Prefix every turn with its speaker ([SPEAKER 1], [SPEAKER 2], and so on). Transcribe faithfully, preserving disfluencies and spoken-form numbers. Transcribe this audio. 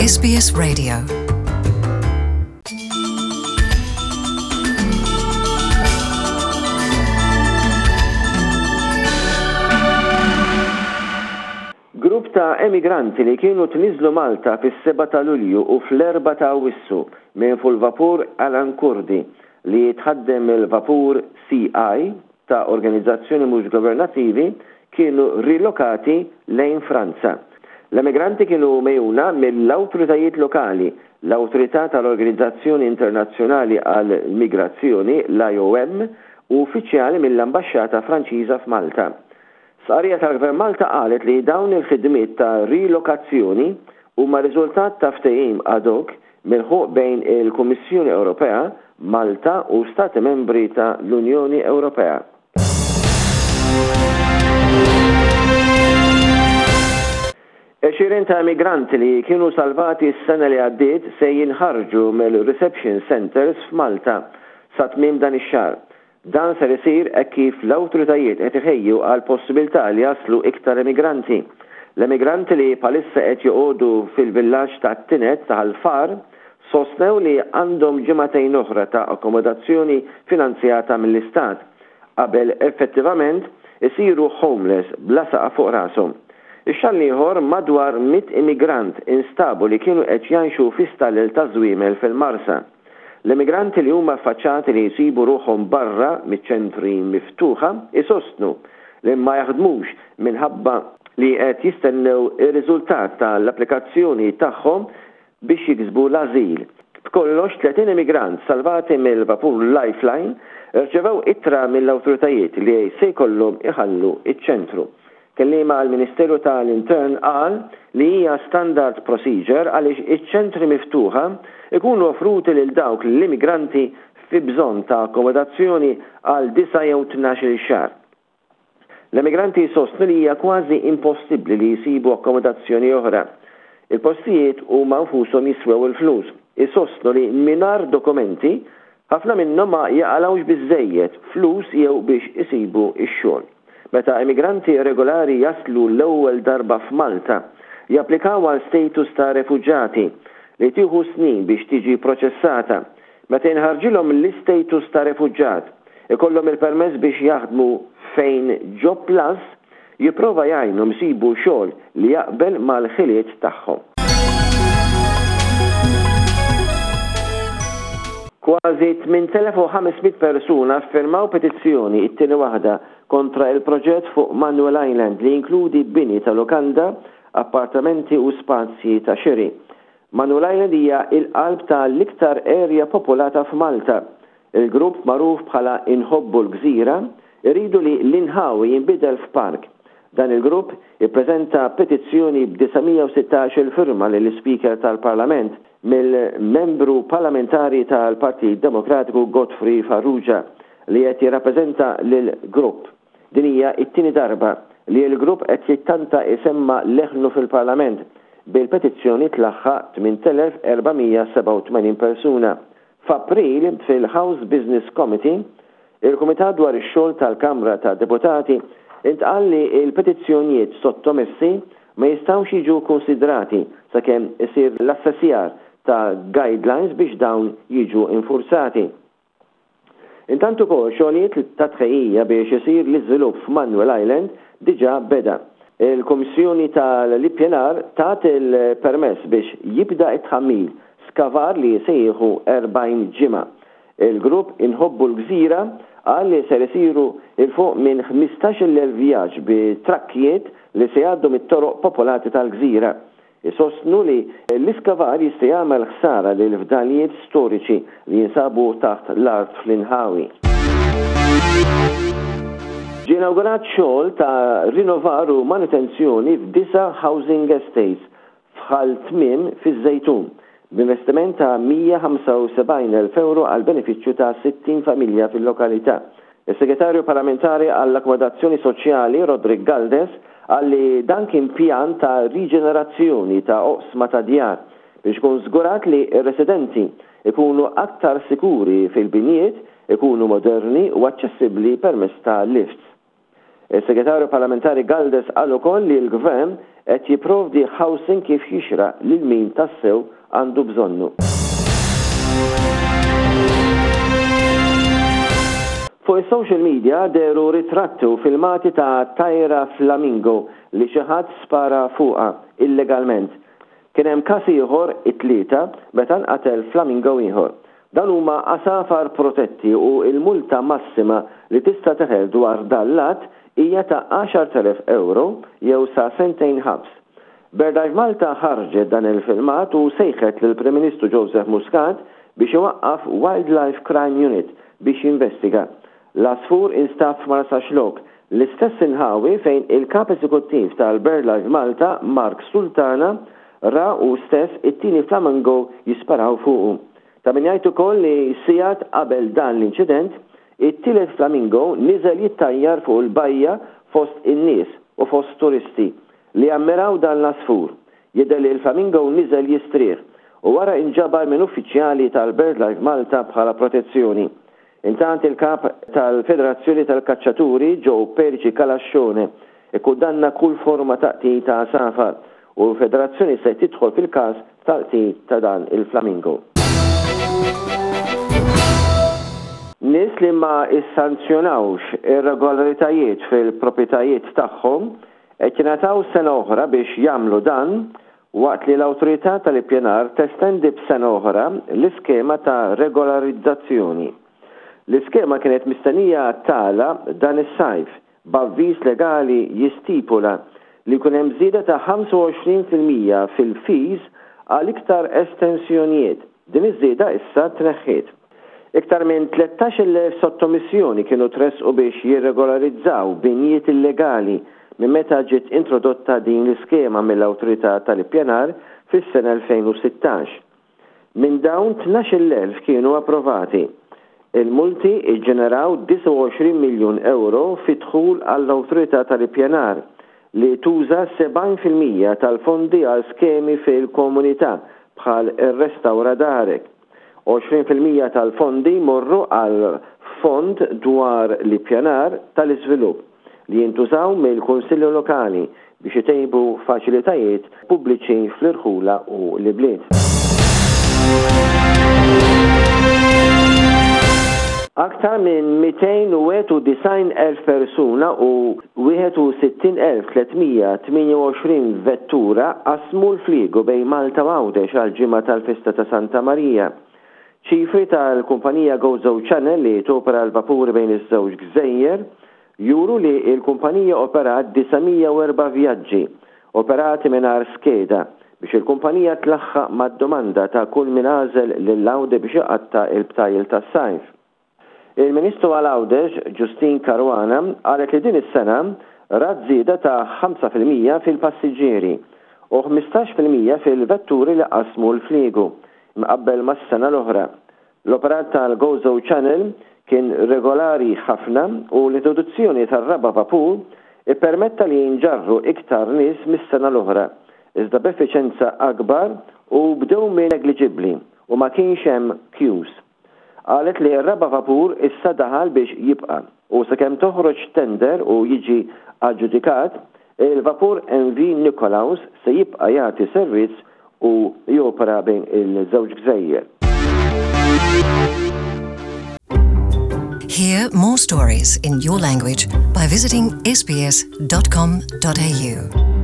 [SPEAKER 1] S B S Radio.
[SPEAKER 2] Grupp ta' emigranti li kienu tniżlu Malta fis-sebgħa ta' Lulju u fl-erbgħa ta' Awwissu minn fuq il-vapur Alan Kurdi li jitħaddem il-vapur C I ta' organizzazzjoni mhux governattivi kienu rilokati lejn Franza. L-emigranti kienu megħjuna mill-awtoritajiet lokali, l-Awtorità tal-Organizzazzjoni Internazzjonali għall-Migrazzjoni, l-I O M, u uffiċjali mill-Ambaxxata Franċiża f'Malta. Stqarrija tal-Gvern Malta qalet li dawn il-ħidmiet ta' rilokazzjoni huma riżultat ta' ftehim ad hoc milħuq bejn il-Kummissjoni Ewropea, Malta u Stati Membri ta' l-Unjoni Ewropea. Għexieren ta' immigranti li kienu salvati s-sena li għaddiet se jinħarġu mill-reception centers f'Malta sa tmiem dan ix-xahar. Dan ser isir hekk kif l-awtoritajiet qed iħejju għal possibilità li jaslu iktar immigranti. L-immigranti li bħalissa qed joqogħdu fil-villaġġ ta' Tinet ta' Ħal Far sostnew li għandhom ġimagħtejn oħra ta' akkomodazzjoni finanzjata mill-Istat qabel effettivament isiru homeless bla saqaf fuq rashom. Ix-xahar l-ieħor madwar mitt immigrant instabu li kienu qed jgħixu fi stallel ta' żwiemel fil-Marsa. L-immigranti li huma affaċċati li jsibu ruħhom barra miċ-ċentri miftuħa isostnu li ma jaħdmux minħabba li qed jistennew ir-riżultat tal-applikazzjoni tagħhom biex jiksbu l-azil. B'kollox tletin immigrant salvati mill-vapur Lifeline rċevew ittra mill-awtoritajiet li se jkollhom iħallu iċ-ċentru. Kelliema għal-Ministeru tal-Intern qal li hija standard procedure għaliex iċ-ċentri miftuħa ikunu offruti lil dawk l-immigranti fi bżonn ta' akkomodazzjoni għal disa' jew tnax-il xahar. L-immigranti sostnu li hija kważi impossibbli li jsibu akkomodazzjoni oħra. Il-postijiet huma nfushom jiswew il-flus. Isostnu li mingħajr dokumenti ħafna minnhom ma jaqalgħux biżejjed flus jew biex isibu x-xogħol. Meta immigranti regolari jaslu l-ewwel darba f'Malta, japplikaw għal status ta' refuġati li tieħu snin biex tiġi proċessata. Meta jinħarġilhom l-istatus ta' refuġġat, ikollhom il-permess biex jaħdmu fejn Job Plus jipprova jgħinhom isibu xogħol li jaqbel mal-ħiliet tagħhom. Kważi tmien elef u ħames mitt persuna firmaw petizzjoni, it-tieni waħda, kontra il-proġett fuq Manuel Island li jinkludi bini ta' lokanda, appartamenti u spazji ta' xiri. Manuel Island hija il-qalb ta' l-iktar area popolata f'Malta. Il-grupp magħruf bħala Inħobbu l-Gżira iridu li l-inħawi jinbidel f'park. Dan il-grupp ippreżenta petizzjoni b'disa' mija u sittax firma lill-Speaker tal-Parlament mill-membru parlamentari tal-Partit Demokratiku Godfrey Farrugia li qed jirrappreżenta lil grupp. Din hija t-tieni darba li l-grupp qed jittanta isemma leħnu fil-Parlament, bil-petizzjoni tlaħħaq tmien elef erba' mija sebgħa u tmenin persuna. F'April, fil-House Business Committee, il-Kumitat dwar ix-xogħol tal-Kamra ta' Deputati, intqal li il-petizzjonijiet sottomessi ma jistgħux jiġu konsidrati sakemm isir l-assessjar ta' guidelines biex dawn jiġu infurzati. Intant ukoll xogħlijiet ta' tħejjija biex isir l-iżvilupp f'Manuel Island diġà beda. Il-Kummissjoni tal-Ippjanar tat il-permess biex jibda it-tħammil, skavar li se jieħu erbgħin ġimgħa. Il-grupp Inħobbu l-Gżira qal li ser isiru 'il fuq minn ħmistax-il elf vjaġġ bi trakkijiet li se jgħaddu mit-toroq popolati tal-gżira. Isostnu li l-iskavar jista' jagħmel ħsara lil fdalijiet storiċi li jinsabu taħt l-art fl-inħawi. Ġie inawgurat xogħol ta' rinnovar u manutenzjoni f'disa' housing estates f'Ħal Tmiem fiż-Żejtun b'investiment ta' mija ħamsa u sebgħin elf euro għal benefiċċju ta' sittin familja fil-lokalità. Is-Segretarju Parlamentari għall-Akkomodazzjoni Soċjali Roderick Galdes qal li dan kien pjan ta' riġenerazzjoni ta' oqsma ta' djar biex ikun żgurat li r-residenti ikunu aktar sikuri fil-binjiet, ikunu moderni u aċċessibbli permezz ta' lifts. Is-Segretarju Parlamentari Galdes qal ukoll li l-Gvern qed jipprovdi housing kif jixraq lil min tassew għandu bżonnu. Fuq is-social media dehru ritratti u filmati ta' tajra flamingo li xi ħadd spara fuqha illegalment. Kien hemm każ ieħor it-Tlieta meta nqatel flamingo ieħor. Dan huma għasafar protetti u l-multa massima li tista' teħel dwar dan l-att hija ta' għaxart elef ewro jew sa sentejn ħabs. BirdLife Malta ħarġet dan il-filmat u sejħet lill-Prim Ministru Joseph Muscat biex iwaqqaf Wildlife Crime Unit biex jinvestiga. L-għasfur instab f'Marsaxlokk, l-istess inħawi fejn il-Kap Eżekuttiv tal-BirdLife Malta Mark Sultana ra hu stess it-tieni flamingo jisparaw fuqu. Ta' min jgħid ukoll li sigħat qabel dan l-inċident, it-tielet flamingo niżel jittajjar fuq il-bajja fost in-nies u fost turisti li ammiraw dan l-għasfur. Jidher li l-flamingo niżel jistrieħ u wara inġabar minn uffiċjali tal-BirdLife Malta bħala protezzjoni. Intant il-kap tal-Federazzjoni tal-Kaċċaturi Joe Perici Calascione ikkundanna kull forma ta' qtil ta' għasafar u l-Federazzjoni se tidħol fil-każ tal-qtil ta' dan il-flamingo. Nies li ma issanzjonawx irregolaritajiet fil-proprjetajiet tagħhom qed jingħataw sena oħra biex jagħmlu dan waqt li l-Awtorità tal-Ippjanar testendi b'sena oħra l-iskema ta' regolarizzazzjoni. L-iskema kienet mistennija tagħlaq dan is-sajf b'avviż legali jistipula li jkun hemm żieda ta' ħamsa u għoxrin fil-mija fil-fees għal iktar estensjonijiet. Din iż-żieda issa tneħħiet. Iktar minn tlettax-il elf sottomissjoni kienu tressqu biex jirregolarizzaw binjiet illegali minn meta ġiet introdotta din l-iskema mill-Awtorità tal-Ippjanar fis-sena elfejn u sittax. Minn dawn tnax-il elf kienu approvati. Il-multi iġġeneraw disgħa u għoxrin miljun euro fi dħul għall-Awtorità tal-Ippjanar li tuża sebgħin fil-mija tal-fondi għal skemi fil-komunità bħal ir-Restawra Darek. għoxrin fil-mija tal-fondi jmorru għal fond dwar l-ippjanar tal-iżvilupp li jintużaw mill-Kunsilli Lokali biex itejbu faċilitajiet pubbliċi fl-irħula u l-ibliet. Aktar minn mitejn u wieħed u disgħin elf persuna u wieħed u sittin elf tlietmija tmienja u għoxrin vettura qasmu l-fliegu bejn Malta u Għawdex għall-ġimgħa tal-festa ta' Santa Marija. Ċifri tal-kumpanija Gozo Channel li topera l-vapuri bejn iż-żewġ gżejjer juru li l-kumpanija operat disa' mija u erba' vjaġġi operati mingħajr skeda biex il-kumpanija tlaħħaq mad-domanda ta' kull min għażel lil Għawdex biex iqatta' il-btajjel tas-sajf. Il-Ministru għal Għawdex, Justyne Caruana, qalet li din is-sena rat żieda ta' ħamsa fil-mija fil-passiġġieri u ħmistax fil-mija fil-vetturi li qasmu l-fliegu, mqabbel mas-sena l-oħra. L-operat tal-Gozo Channel kien regolari ħafna u l-introduzzjoni tar-raba' vapur ippermetta li jinġarru iktar nies mis-sena l-oħra, iżda b'effiċenza akbar u b'dewmien negliġibbli u ma kienx hemm queues. Qalet li r-raba' vapur issa daħal biex jibqa' u sakemm toħroġ tender u jiġi aġġudikat, il-vapur M V Nikolaus se jibqa' jagħti servizz u jopera bejn il-żewġ gżejjer.
[SPEAKER 1] Hear more stories in your language by visiting S B S dot com dot A U.